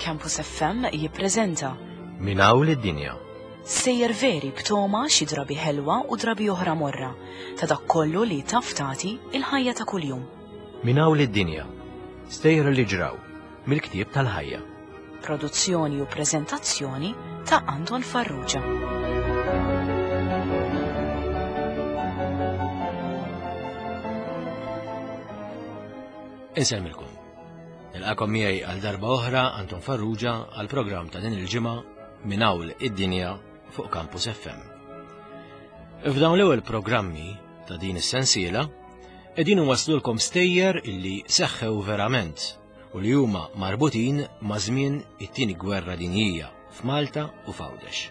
Campus FM jippreżenta Min hawn lid-dinja. Sejjer veri b'toma xi drabi ħelwa u drabi oħra morra ta' dak kollu li taf tagħti il-ħajja ta' kuljum. Min hawn lid-dinja. Stejjer li ġraw mill-ktieb tal-ħajja. Produzzjoni u preżentazzjoni ta' Anton Farrugia. Insellmilkom. Nilqakom miegħi għal darba oħra Anton Farrugia għal programm ta' din il-ġimgħa minn hawn id-dinja fuq Campus FM. F'dawn l-ewwel programmi ta' din is-sensiela qegħdin waslulkom stejjer illi seħħew verament u li huma marbutin ma' żmien it-tieni gwerra dinjija f'Malta u f'Għawdex.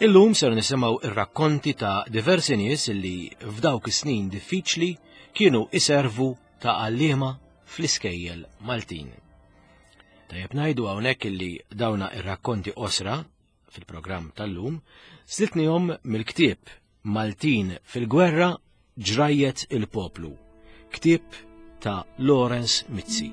Illum ser nisimgħu ir-rakkonti ta' diversi nies li f'dawk is-snin diffiċli kienu iservu ta' għalliema fl-iskejjel Maltin. Tajjeb ngħidu hawnhekk illi dawna ir-rakkonti qosra fil-programm tal-lum slitnihom mill-ktieb Maltin fil-Gwerra Ġrajjet il-Poplu, ktieb ta' Lawrence Mizzi.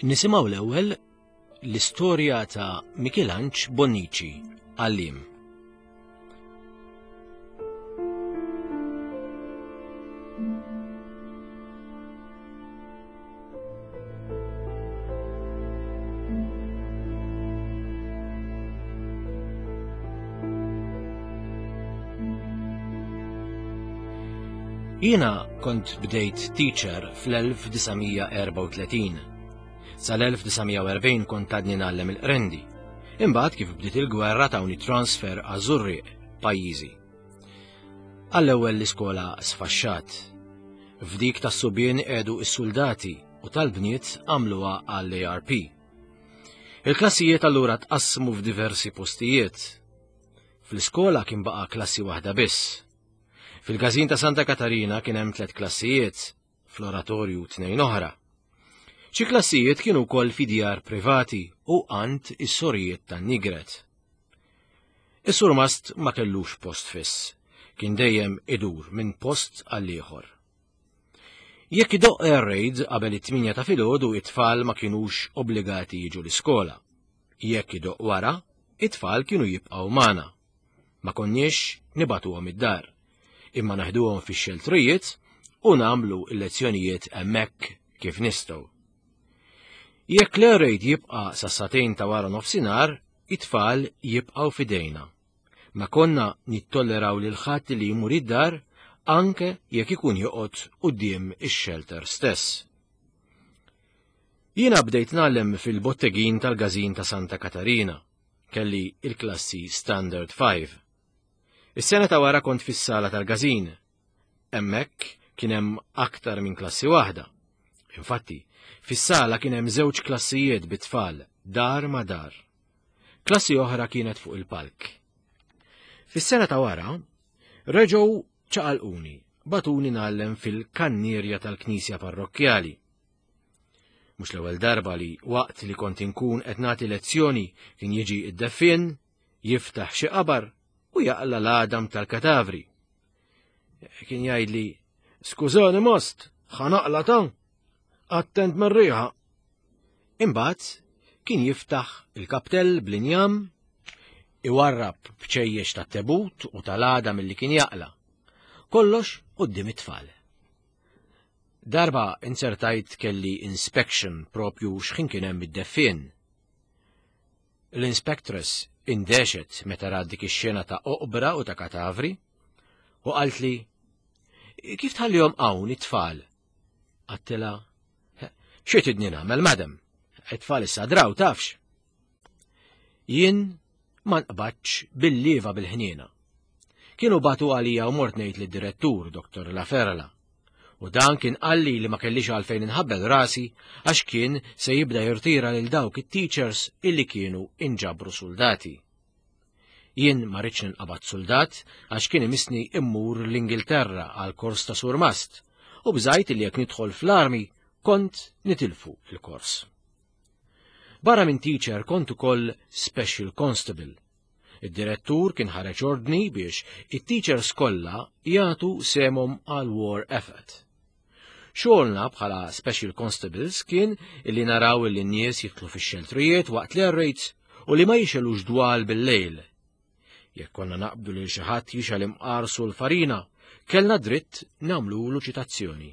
Nisimgħu l-ewwel l-istorja ta' Michelanġ Bonnici, għalliem. Jiena kont bdejt teacher fl-1934. Sal-1940 kont għadni ngħallem il-qrendi. Imbagħad kif bdiet il-gwerra tawni transfer għaż-Żurrieq, pajjiżi. Għall-ewwel l-iskola sfaxxat. F'dik tas-subien qiegħdu s-suldati u tal-bniet għamluha għall-ARP. Il-klassijiet allura tqassmu f'diversi postijiet. Fl-iskola kien baqa' klassi waħda biss. Fil-każin ta' Santa Katarina kien hemm tliet klassijiet, fl-oratorju tnejn oħra. Xi klassijiet kienu wkoll fi djar privati u għand is-sorijiet tan-Nigret. Is-surmast ma kellux post fiss, kien dejjem idur minn post għal ieħor. Jekk idoqq air raid qabel it-8 ta' filgħodu it-tfal ma kinux obbligati jiġu l-iskola. Jekk idoqq wara, it-tfal kienu jibqgħu magħna. Ma konniex nibagħtuhom id-dar, imma naħduhom fix-xeltrijiet u nagħmlu l-lezzjonijiet hemmhekk kif nistgħu. Jekk l-air jibqa' sas-sagħtejn ta' wara nofsinhar, it-tfal jibqgħu f'idejna. Ma konna nittolleraw lil ħadd li jmur id-dar anke jekk ikun joqgħod quddiem ix-xelter stess. Jiena bdejt ngħallem fil-bottegin tal-Każin ta' Santa Katarina. Kelli il-klassi Standard 5. Is-sena ta' wara kont fis-sala tal-każin. Hemmhekk kien hemm aktar minn klassi waħda. Infatti, fis-sala kien hemm żewġ klassijiet bit-tfal, dar ma' dar. Klassi oħra kienet fuq il-palk. Fis-sena ta' wara, reġgħu ċaqalquni, batuni ngħallem fil-kannierja tal-knisja parrokkjali. Mhux l-ewwel darba li waqt li kont inkun qed nagħti lezzjoni kien jiġi id-deffien, jiftaħ xi qabar u jaqla l-għadam tal-katavri. Kien jgħidli, "Skużani most, ħanaqla ta' attent mar-riħa." Imbagħad kien jiftaħ il-kaptell bl-injam, iwarrab bċejjex tat-tebut u tal-għadam li kien jaqla. Kollox quddiem it-tfal. Darba inzertajt kelli inspection propju x'ħin kien hemm id-deffien. L-inspectress indexet meta rat dik ix-xena ta' oqbra u ta' katavri u qaltli kif tħallihom hawn it-tfal? Għattilha xi tidni nagħmel madam? It-tfal issa draw tafx. Jien ma nqbadx bil-lieva bil-ħniena. Kienu batu għalija u mort ngħid lid-direttur, Dr. Laferla. U dan kien qalli li ma kellix għalfejn inħabbel rasi għax kien se jibda jirtira lil dawk it-teachers illi kienu inġabru soldati. Jien ma rridx ninqabad soldat għax kien imisni immur l-Ingilterra għal kors ta' surmast u bżajt li jekk nidħol fl-armi kont nitilfu il-kors. Barra minn teacher kont ukoll special constable. Id-direttur kien ħareġ ordni biex it-teachers kollha jagħtu sehemhom għal war effort. Xogħolna bħala special constables kien illi naraw illi n-nies jidħlu fix-xeltrijiet waqt l-air raids u li ma jixelux dwal bil-lejl. Jekk konna naqbdu lil xi ħadd jixgħel imqar sul farina, kellna dritt nagħmlulu ċitazzjoni.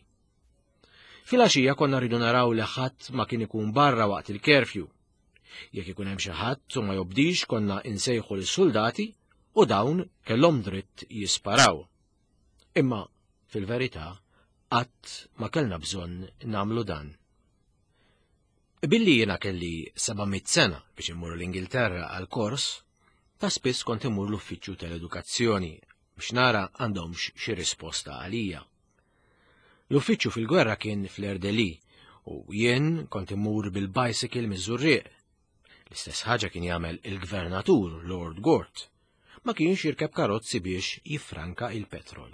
Filgħaxija konna rridu naraw li ħadd ma kien ikun barra waqt il-curfew. Jekk ikun hemm xi ħadd u ma jobdix konna insejħu lis-suldati u dawn kellhom dritt jisparaw. Imma fil-verità qatt ma kellna bżonn nagħmlu dan. Billi jiena kelli 700 sena biex immur l-Ingilterra għal kors, ta' spiss kont immur l-uffiċċju tal-edukazzjoni biex nara għandhomx xi risposta għalija. L-uffiċċju fil-gwerra kien fl-Erdeli u jien kont immur bil-bicycle miż-Żurrieq. L-istess ħaġa kien jagħmel il-gvernatur Lord Gort. Ma kienx jirkeb karozzi biex jiffranka il-petrol.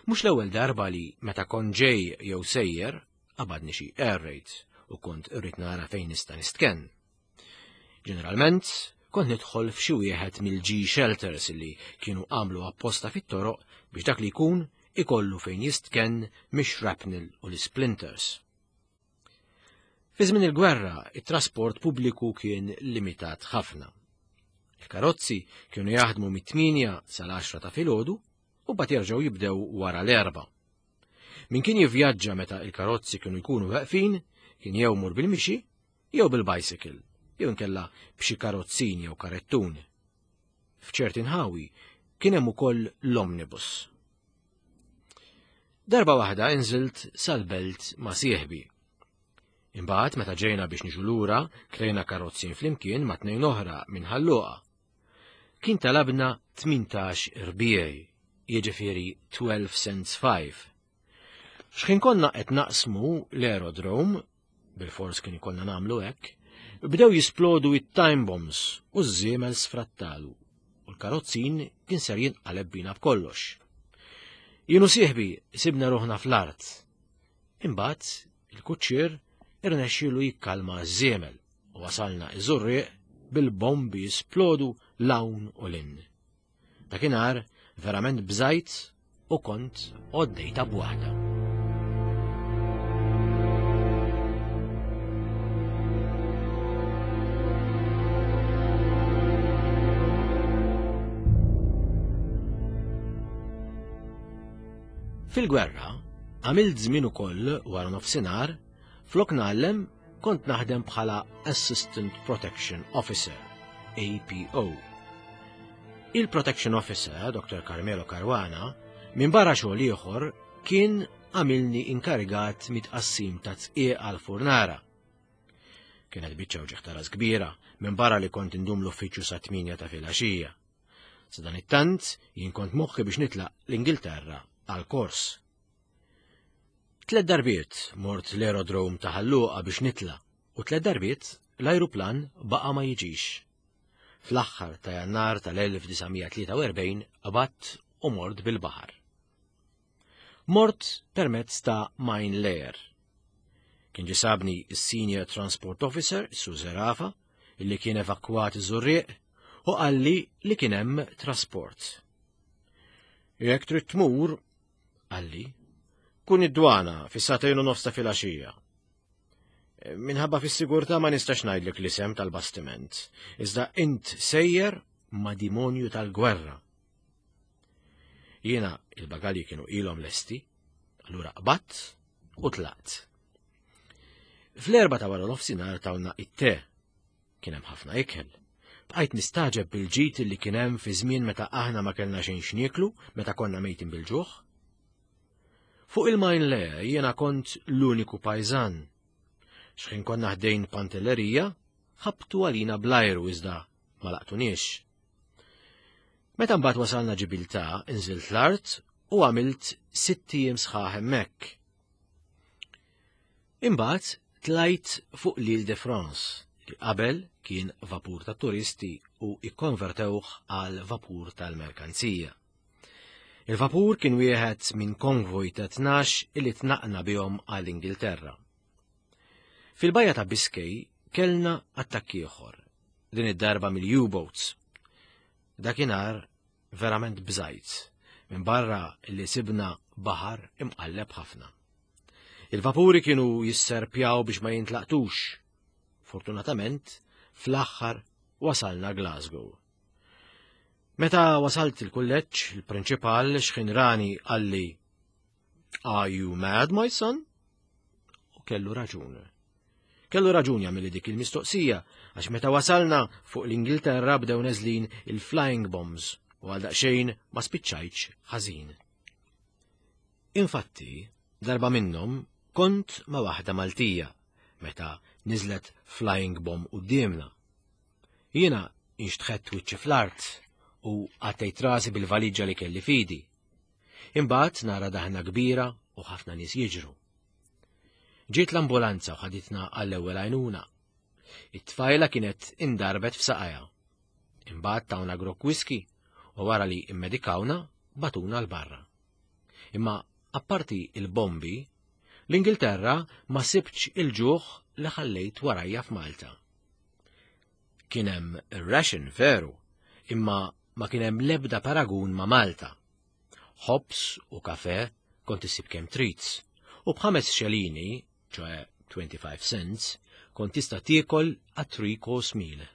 Mhux l-ewwel darba li meta kont ġej jew sejjer qabadni xi air raids u kont irrid nara fejn nista' nistkenn. Ġeneralment, kont nidħol f'xi wieħed mill-G shelters li kienu għamlu apposta fit-toroq biex dak li jkun ikollu fejn jistkenn mix-shrapnel u l-splinters. Fi żmien il-gwerra, it-trasport pubbliku kien limitat ħafna. Il-karozzi kienu jaħdmu mit-8 sal-10 ta' filgħodu u bat jerġgħu jibdew wara l-erba. Min kien jivvjaġġa meta il-karozzi kienu jkunu weqfin, kien jew mur bil-mixi jew bil-bicycle, jew inkella b'xi karozzin jew karettun. F'ċerti nħawi kien hemm ukoll l-omnibus. Darba waħda inżilt sal-belt ma' sieħbi. Imbagħad meta ġejna biex niġu lura, krejna karozzin flimkien ma' tnejn oħra minn Ħalluqa. Kien talabna 18 irbiej, jiġifieri 12 cents 5. X'ħin konna qed naqsmu l-aerodrome, bilfors kien ikollna nagħmlu hekk, bdew jisplodu it-time bombs u ż-żiemel sfrattalu u l-karozzin kien ser jinqaleb bina b'kollox. Jien u sieħbi sibna ruħna fl-art. Imbagħad il-kuċċier irnexxielu jikkalma ż-żiemel u wasalna iż-żurrieq bil-bombi jisplodu l-hawn u l-in. Dakinhar verament bżajt u kont għoddejta b'waħda. Fil-gwerra, għamilt żmien ukoll wara nofsinhar flok ngħallem kont naħdem bħala Assistant Protection Officer, APO. Il-Protection Officer, Dr. Carmelo Caruana, minn barra xogħol ieħor kien għamilni inkarigat mit-tqassim ta' tqiegħ għal furnara. Kienet biċċa uġigħ ta' ras kbira, minn barra li kont indum l-uffiċċju sa' 8 ta' filgħaxija. Sadanittant, jien kont moħħi biex nitlaq l-Ingilterra għal kors. Tlet darbiet mort l-aerodrome ta' Ħal Luqa biex nitla' u tlet darbiet l-ajruplan baqa' ma jiġix. Fl-aħħar ta' Jannar tal-1943 qbadt u mort bil-baħar. Mort permezz ta' Mine Layer. Kien ġie sabni s-Senior Transport Officer, Su Zerafa, illi kien evakwat iż-Żurrieq u qalli li kien hemm trasport. Jekk trid tmur, qalli, kun id-dwana fis-sagħtejn u nofs ta' filgħaxija. Minħabba fis-sigurtà ma nistax ngħidlek l-isem tal-bastiment, iżda int sejjer ma' dimonju tal-gwerra. Jiena il-bagalji kienu ilhom lesti, allura qbadt u tlaqt. Fl-erba ta' wara nofsinhar tawna it-te Kien hemm ħafna ikel. Bqajt nistagħġeb bil-ġid li kien hemm fi żmien meta aħna ma kellna xejn x'nieklu, meta konna mejtin bil-ġuħ. Fuq il-Mine Le jiena kont l-uniku pajżan. X'ħin konna ħdejn Pantellerija, ħabtu għalina bl-ajru iżda ma laqtuniex. Meta mbagħad wasalna Ġibiltà, inżilt l-art u għamilt sitt ijiem sħaħ hemmhekk. Imbagħad tlajt fuq l'Île de France li qabel kien vapur ta' turisti u ikkonvertewh għal vapur tal-merkanzija. Il-vapur kien wieħed minn konvoj ta' 12 illi tnaqna bihom għall-Ingilterra. Fil-bajja ta' Biscay kellna attakk ieħor, din id-darba mill-U-boats. Dakinhar verament bżajt, minn barra li sibna baħar imqalleb ħafna. Il-vapuri kienu jisserpjaw biex ma jintlaqtux. Fortunatament, fl-aħħar wasalna Glasgow. Meta wasalt il-kulleġġ, il-prinċipal xħin rani qalli Are you mad, my son? U kellu raġun. Kellu raġun jagħmel dik il-mistoqsija għax meta wasalna fuq l-Ingilterra bdew neżlin il-flying bombs u għal daqsxejn ma spiċċajtx ħażin. Infatti, darba minnhom kont ma' waħda Maltija meta niżlet flying bomb quddiemna. Jiena inxtħett wiċċi fl-art u għattejt rasi bil-valiġġa li kelli fidi. Imbagħad nara daħna kbira u ħafna nies jiġru. Ġiet l-ambulanza u ħaditna għall-ewwel għajnuna. It-tfajla kienet indarbet f'saqajha. Imbagħad tawna grok whisky u wara li immedikawna batuna l-barra. Imma apparti il-bombi, l-Ingilterra ma sibtx il-ġuħ li ħallejt warajja f'Malta. Kien hemm ir-ration veru, imma ma kien hemm l-ebda paragun ma' Malta. Ħobż u kafe kont issib kemm trid, u b'ħames xelini, ċoe 25 cents, kont tista' tiekol a three course meal.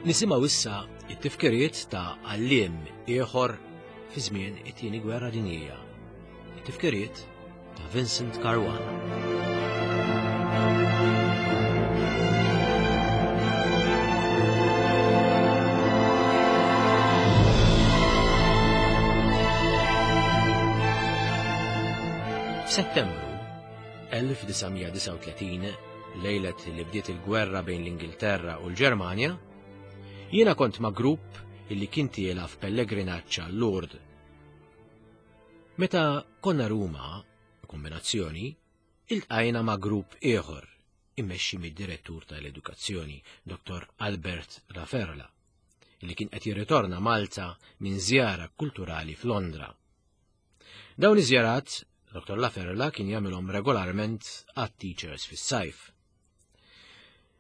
Nisimgħu issa it-tifkiriet ta' għalliem ieħor fi żmien it-tieni gwerra dinjija. It-tifkiriet ta' Vincent Caruana. F'Settembru 1939, lejlet li bdiet il-gwerra bejn l-Ingilterra u l-Ġermanja, jiena kont ma' grupp illi kien tiela f'pellegrinaġġ għal Lourdes. Meta konna Ruma, kombinazzjoni, iltqajna ma' grupp ieħor immexxi mid-Direttur tal-Edukazzjoni, Dr. Albert Laferla, li kien qed jirritorna Malta minn żjara kulturali f'Londra. Dawn iż-żjarat, Dr. Laferla kien jagħmilhom regolarment għat-teachers fis-sajf.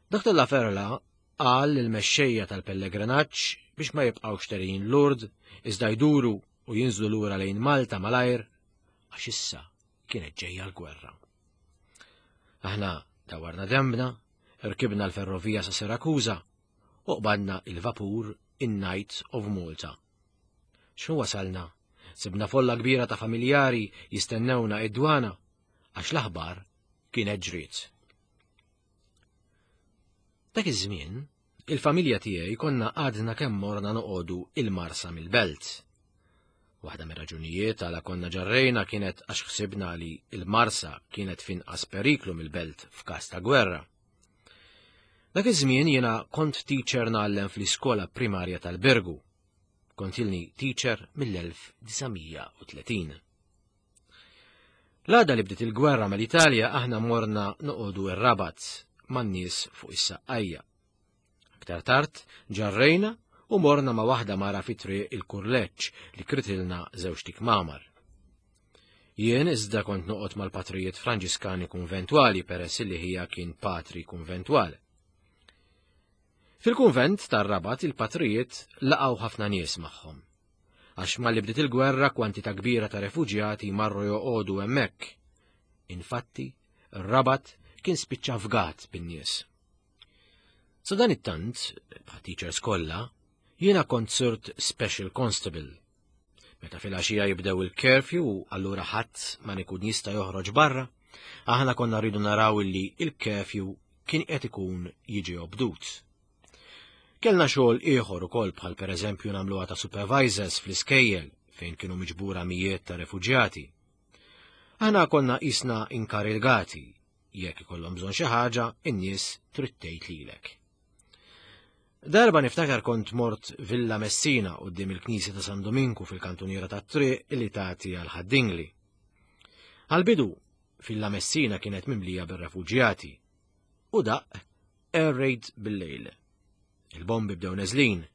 Dr. Laferla qal lill-mexxejja tal-pellegrinaġġ biex ma jibqgħux telgħin Lourdes iżda jduru u jinżlu lura lejn Malta malajr għax issa kienet ġejja l-gwerra. Aħna dawarna dembna, rkibna l-ferrovija sa Sirakuża u qbadna il-vapur in-Knights of Malta. X'hu wasalna? Sibna folla kbira ta' familjari jistennewna id-dwana għax l-aħbar kienet ġriet. Dak iż-żmien, il-familja tiegħi konna għadna kemm morna noqogħdu il-Marsa mill-belt. Waħda mir-raġunijiet għala konna ġarrejna kienet għax ħsibna li il-Marsa kienet finqas periklu mill-belt f'każ ta' gwerra. Dak iż-żmien jiena kont teacher ngħallem fl-iskola primarja tal-Birgu. Kont ilni teacher mill-1930. L-għada li bdiet il-gwerra mal-Italja aħna morna noqogħdu r-Rabat man-nies fuq is-Saqqajja. Aktar tard ġarrejna u morna ma' waħda mara fi triq il-Kurleġġ li kritilna żewġ tikmamar. Jien iżda kont noqgħod mal-patrijiet Franġiskani kunventwali peress li ħija kien patri kunventwal. Fil-kunvent tar-Rabat il-patrijiet laqgħu ħafna nies magħhom. Għax malli bdiet il-gwerra kwantità kbira ta' refuġjati marru joqogħdu hemmhekk. Infatti, ir-Rabat kien spiċċa fgat bin-nies. Sa dan it-tant, bħat teachers kollha, jiena kont sirt special constable. Meta fil-għaxija jibdew il-curfew u allura ħadd ma nikun jista' joħroġ barra, aħna konna rridu naraw illi il-curfew kien qed ikun jiġi obdut. Kellna xogħol ieħor ukoll bħal pereżempju nagħmluha ta' supervisors fl-iskejjel fejn kienu miġbura mijiet ta' refuġjati. Aħna konna qisna inkarigati, jekk ikollhom bżonn xi ħaġa, in-nies trid tgħid lilek. Darba niftakar kont mort Villa Messina quddiem il-Knisja ta' San Dominku fil-kantuniera tat-triq li tagħti għal Ħad-Dingli. Għal-bidu, Villa Messina kienet mimlija bir-refuġjati u daqq air raid bil-lejl. Il-bombi bdew neżlin.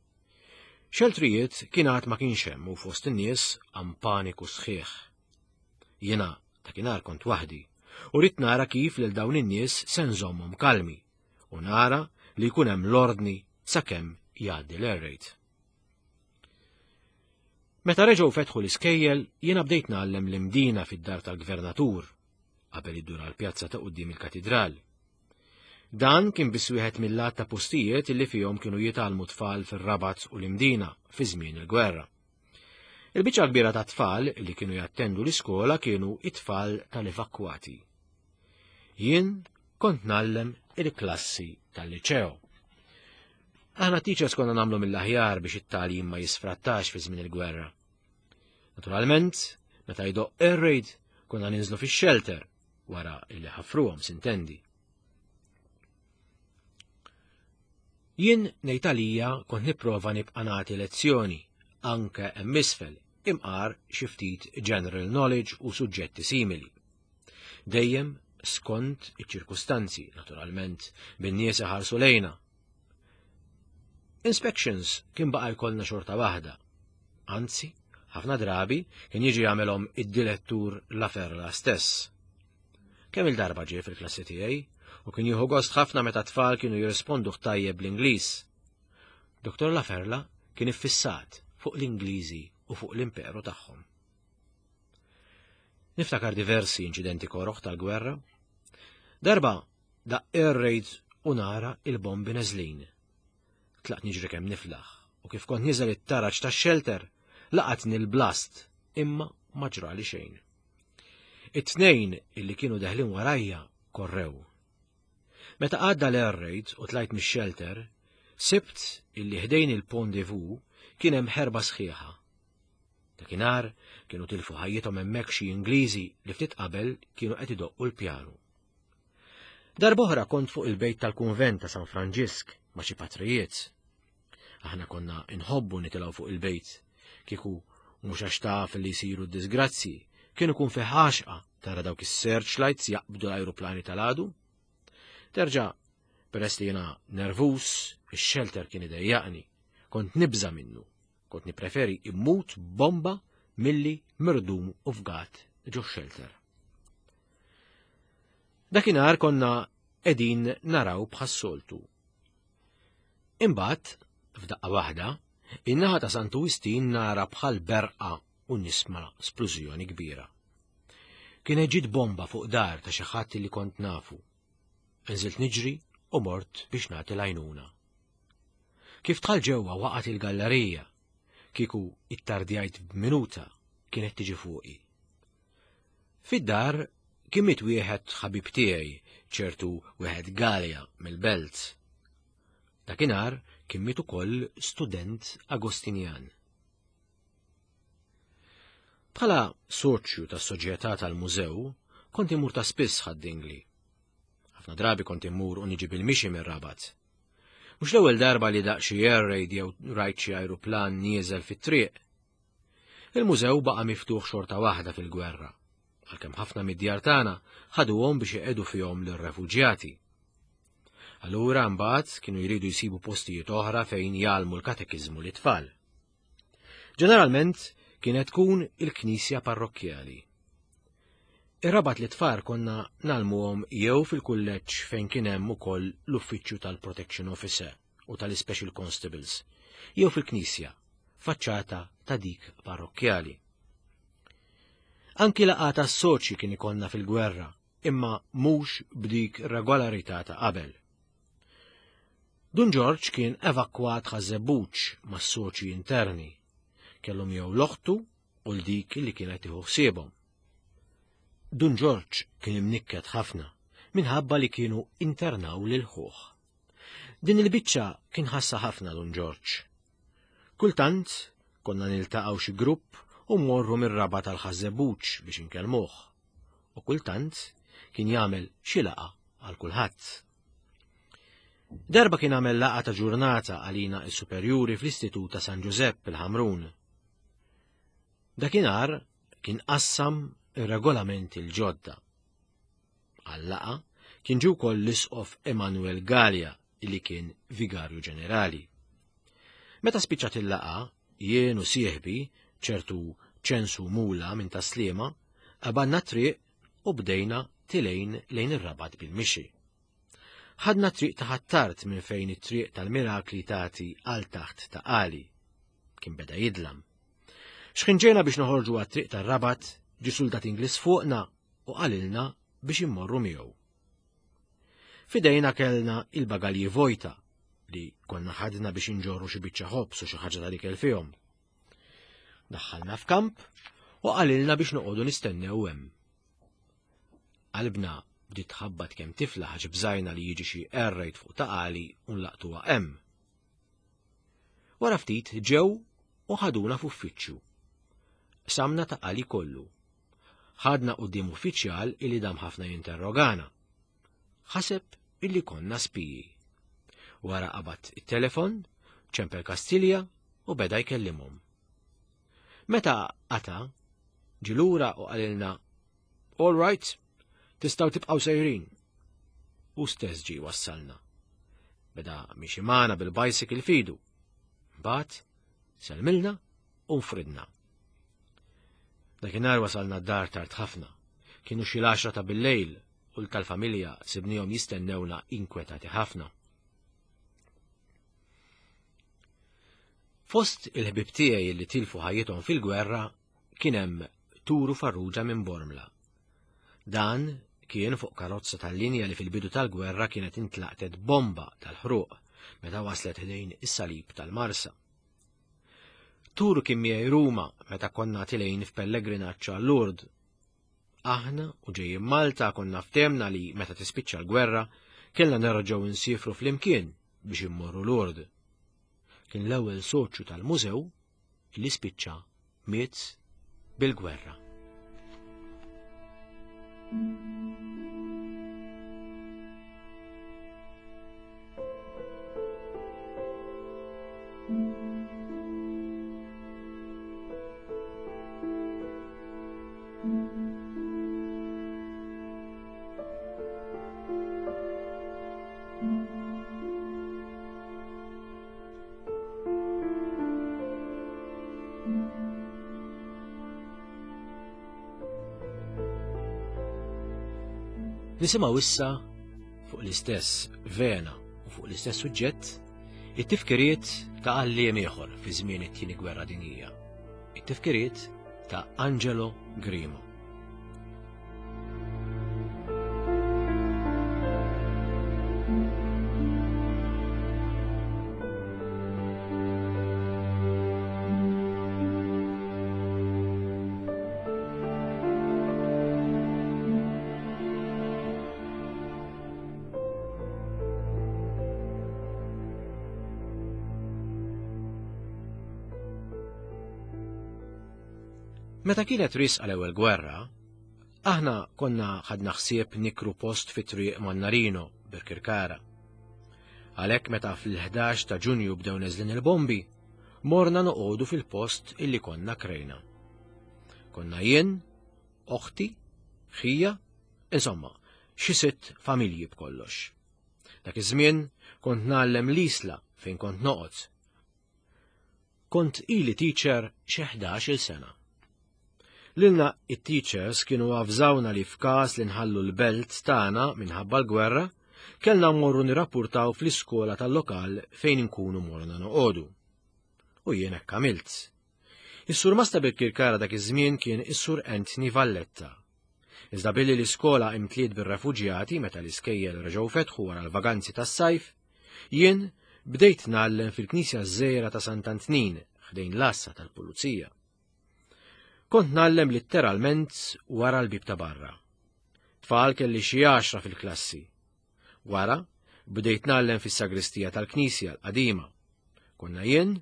Xeltrijiet kien għad ma kienx hemm u fost in-nies għam paniku sħiħ. Jiena dakinhar kont waħdi u ridt nara kif lil dawn in-nies se nżommhom kalmi u nara li jkun hemm l-ordni sakemm jgħaddi l-air raid. Meta reġgħu fetħu l-iskejjel, jiena bdejt ngħallem l-imdina fid-dar tal-gvernatur qabel iddur għall-pjazza ta' quddiem il-katidral. Dan kien biss wieħed mill-għadd ta' postijiet li fihom kienu jitgħallmu tfal fir-Rabat u l-Imdina fi żmien il-gwerra. Il-biċċa kbira ta' tfal li kienu jattendu l-iskola kienu it-tfal tal-evakwati. Jien kont ngħallem il-klassi tal-liċeo. Aħna teachers konna nagħmlu mill-aħjar biex it-tagħlim ma jisfrattax fi żmien il-gwerra. Naturalment, meta jdoq air raid, konna ninżlu fix-shelter wara li ħafruhom sintendi. Jien ngħid għalija kont nipprova nibqa' nagħti lezzjoni anke hemm isfel imqar xi ftit general knowledge u suġġetti simili. Dejjem skont iċ-ċirkustanzi, naturalment, bin-nies iħarsu lejna. Inspections kien baqa' jkollna xorta waħda. Anzi, ħafna drabi kien jiġi jagħmelhom id-direttur La Ferla stess. Kemm il-darba ġie fil-klassi tiegħi u kien jieħu gost ħafna meta tfal kienu jirrispondu tajjeb bl-Ingliż. Dr. La Ferla kien iffissat fuq l-Ingliżi u fuq l-imperu tagħhom. Niftakar diversi inċidenti koroħ tal-gwerra. Darba daqq air raids u nara il-bombi neżlin. Tlaqt niġri kemm niflaħ u kif kont niżel it-taraġ tax-shelter laqatni l-blast imma ma ġrali xejn. It-tnejn illi kienu deħlin warajja korrew. Meta għadda l-air raid u tlajt mix-shelter, sibt illi ħdejn il-Pont de Vaux kien hemm ħerba sħiħa. Dakinhar kienu tilfu ħajjithom hemmhekk xi Ingliżi li ftit qabel kienu qed idoqqu l-pjanu. Darb'oħra kont fuq il-bejt tal-kunvent ta' San Franġisk ma' xi patrijiet. Aħna konna inħobbu nitilgħu fuq il-bejt, kieku mhux għax taf li jsiru d-disgrazzji, kien ikun fi ħaxqa tara dawk is-searchlights jaqbdu l-ajruplani tal-għadu. Terġa' peress li jiena nervuż, ix-xelter kien idejjaqni, kont nibża' minnu. Kont nippreferi immut bomba milli mirdum u fgat ġo xelter. Dakinhar konna qegħdin naraw bħas-soltu. Imbagħad, f'daqqa waħda, in-naħa ta' Santu Wistin nara bħal berqa u nisma' splużjoni kbira. Kienet ġiet bomba fuq dar ta' xi ħadd li kont nafu. Nżilt niġri u mort biex nagħti l-għajnuna. Kif dħal ġewwa waqgħet il-gallerija. Kieku ittardjajt b'minuta kienet tiġi fuqi. Fid-dar kien miet wieħed ħabib tiegħi, ċertu wieħed Galea mill-Belt. Dakinhar kien miet ukoll student Agostinjan. Bħala soċju tas-soċjetà tal-mużew, kont immur ta' spiss Ħad-Dingli. Ħafna drabi kont immur u niġi bil-mixi mir-Rabat. Mhux l-ewwel darba li daq xi air raid jew rajt xi ajruplan nieżel fit-triq. Il-mużew baqa' miftuħ xorta waħda fil-gwerra, għalkemm ħafna mid-djar tagħna ħaduhom biex iqegħdu fihom lir-refuġjati. Allura mbagħad kienu jridu jsibu postijiet oħra fejn jgħallmu l-katekiżmu lit-tfal. Ġeneralment kienet tkun il-knisja parrokkjali. Ir-Rabat li tfar konna nagħlmuhom jew fil-kulleġġ fejn kien hemm ukoll l-uffiċċju tal-Protection Officer u tal-Special Constables, jew fil-knisja, faċċata ta' dik parrokkjali. Anki laqgħa tas-soċji kien ikollna fil-gwerra, imma mhux b'dik regolarità ta' qabel. Dun Ġorġ kien evakwat Ħaż-Żebbuġ mas-soċji interni. Kellu miegħu l-oħtu u l-dik li kienet tieħu ħsiebhom. Dun Ġorġ kien imnikket ħafna minħabba li kienu internaw lil ħuh. Din il-biċċa kien ħassa ħafna Dun Ġorġ. Kultant konna niltaqgħu xi grupp u mmorru mir-raba tal-Ħaż-Żebbuġ biex inkellmuh. U kultant kien jagħmel xi laqgħa għal kulħadd. Darba kien għamel laqgħa ta' ġurnata għalina s-superjuri fl-Istitut ta' San Ġużepp il-Ħamrun. Dakinhar kien qassam ir-regolamenti l-ġodda. Għal-laqgħa kien ġie wkoll l-Isqof Emanuel Galea li kien Vigarju Ġenerali. Meta spiċċat il-laqgħa, jien u sieħbi, ċertu Ċensu Mula minn Tas-Sliema, qabadna t-triq u bdejna tilgħin lejn ir-Rabat bil-mixi. Ħadna triq ta' Ħ'Attard minn fejn it-triq tal-Mirakli tagħti għal taħt ta' Qali. Kien beda jidlam. X'ħin ġejna biex noħorġu għat-triq tar-Rabat, ġie suldat Ingliż fuqna u qalilna biex immorru miegħu. Fidejna kellna il-bagalji vojta li konna ħadna biex inġorru xi biċċa ħobż u xi ħaġa tal-ikel fihom. Daħħalna f'kamp u qalilna biex noqogħdu nistennew hemm. Qalbna bdiet tħabbat kemm tiflaħ għax bżajna li jiġi xi air raid fuq Ta' Qali u nlaqtuha hemm. Wara ftit ġew u ħaduna f'uffiċċju. Qsamna Ta' Qali kollu. Ħadna quddiem uffiċjal illi dam ħafna jinterrogana. Ħaseb illi konna spiji. Wara qabad it-telefon, ċempel Kastilja u beda jkellimhom. Meta qata', ġie lura u qalilna, All right, tistgħu tibqgħu sejrin. Hu stess ġie wassalna. Beda miexi magħna bil-bicycle fidu. Mbagħad selmilna u nfridna. Dakinhar wasalna d-dar tard ħafna. Kienu xi l-għaxra ta' billejl u l-tal-familja sibnihom jistennewna inkwetati ħafna. Fost il-ħbieb tiegħi li tilfu ħajjithom fil-gwerra kien hemm Turu Farrugia minn Bormla. Dan kien fuq karozza tal-linja li fil-bidu tal-gwerra kienet intlaqtet bomba tal-ħruq meta waslet ħdejn is-salib tal-Marsa. Turu kien miegħi Ruma meta konna tilejn f'pellegrinaġġ għal Lourdes. Aħna u ġejjin Malta konna ftehmna li meta tispiċċa l-gwerra kellna nerġgħu nsiefru flimkien biex immorru Lourdes. Kien l-ewwel soċju tal-mużew li spiċċa miet bil-gwerra. Nisimgħu issa fuq l-istess vena u fuq l-istess suġġett it-tifkiriet ta' għalliem ieħor fi żmien it-tieni gwerra dinjija. It-tifkiriet ta' Angelo Grimo. Meta kienet risqa l-ewwel gwerra, aħna konna ħadna ħsieb nikru post fi triq Mannarino, Birkirkara. Għalhekk meta fl-11 ta' Ġunju bdew neżlin il-bombi, morna noqogħdu fil-post illi konna krejna. Konna jien, oħti, ħija, insomma, xi sitt familji b'kollox. Dak iż-żmien kont ngħallem l-Isla fejn kont noqgħod. Kont ili teacher xi 11-il sena. Lilna it-teachers kienu avżawna li f'każ li nħallu l-belt tagħna minħabba l-gwerra, kellna mmorru nirrappurtaw fl-iskola tal-lokal fejn inkunu morna noqogħdu. U jien hekk għamilt. Is-surmast ta' Birkirkara dak iż-żmien kien is-Sur Anthony Valletta. Iżda billi l-iskola imtliet bir-refuġjati meta l-iskejjel reġgħu fetħu wara l-vaganzi tas-sajf, Jien bdejt ngħallem fil-knisja żgħira ta' Sant'Antnin ħdejn l-għassa tal-pulizija. Kont ngħallem litteralment wara l-bib ta' barra. Tfal kelli xi għaxra fil-klassi. Wara, bdejt ngħallem fis-sagristija tal-knisja l-qadima. Konna jien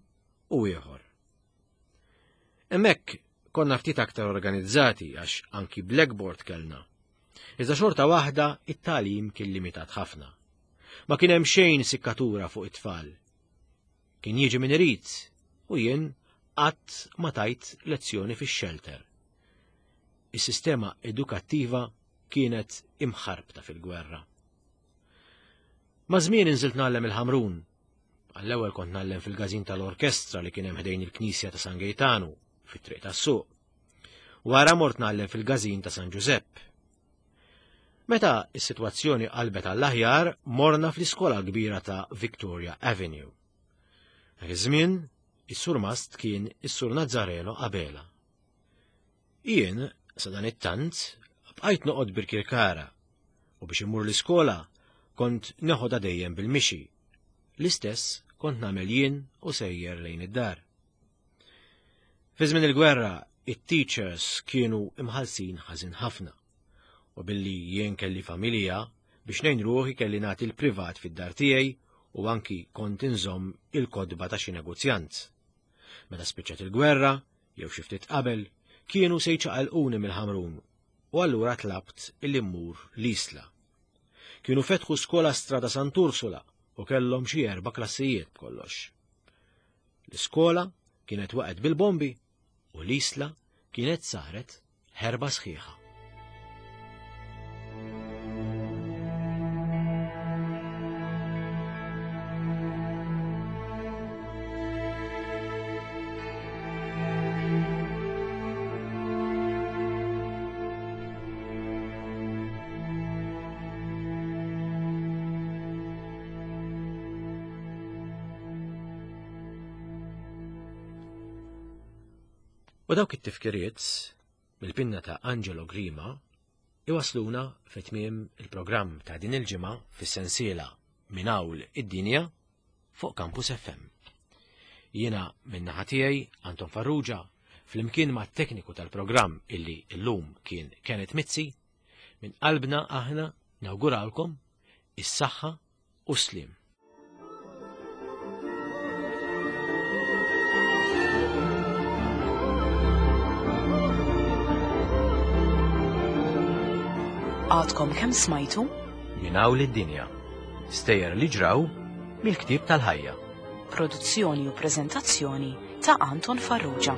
u ieħor. Hemmhekk konna ftit aktar organizzati għax anki blackboard kellna. Iżda xorta waħda it-tagħlim kien limitat ħafna. Ma kien hemm xejn sikkatura fuq it-tfal. Kien jiġi min irid u jien qatt ma tajt lezzjoni fix-xelter. Is-sistema edukattiva kienet imħarbta fil-gwerra. Ma' żmien inżilt ngħallem il-Ħamrun. Għall-ewwel kont ngħallem fil-każin tal-orkestra li kien hemm ħdejn il-Knisja ta' San Gejtanu, fit-triq tas-suq. Wara mort ngħallem fil-każin ta' San Ġużepp. Meta s-sitwazzjoni qalbet għall-aħjar, morna fl-iskola kbira ta' Victoria Avenue. Dak iż-żmien, is-surmast kien is-Sur Nazzareno Abela. Jien, sadanittant, bqajt noqgħod Birkirkara u biex immur l-iskola kont neħodha dejjem bil-mixi. L-istess kont nagħmel jien u sejjer lejn id-dar. Fi żmien il-gwerra, it-teachers kienu imħallsin ħażin ħafna. U billi jien kelli familja, biex ngħin ruħi kelli nagħti l-privat fid-dar tiegħi u anki kont inżomm il-kotba ta' xi negozjant. Meta spiċċat il-gwerra, jew xi ftit qabel, kienu se jċaqalquni mill-Ħamrun u allura tlabt illi mmur l-Isla. Kienu fetħu skola Strada Sant'Ursula u kellhom xi erba' klassijiet b'kollox. L-iskola kienet waqgħet bil-bombi u l-Isla kienet saret ħerba sħiħa. U dawk it-tifkiriet mill-pinna ta' Angelo Grima iwasluna fi tmiem il-programm ta' din il-ġimgħa fis-sensiela Minn Hawl id-Dinja fuq Campus FM. Jiena min-naħa tiegħi Anton Farrugia flimkien ma' tekniku tal-programm illi llum kien Kenneth Mizzi, minn qalbna aħna nawguralkom is-saħħa u s-sliem. Għadkom kemm smajtu? Minn hawn id-dinja. Stejjer li ġraw mill-ktieb tal-ħajja. Produzzjoni u preżentazzjoni ta' Anton Farrugia.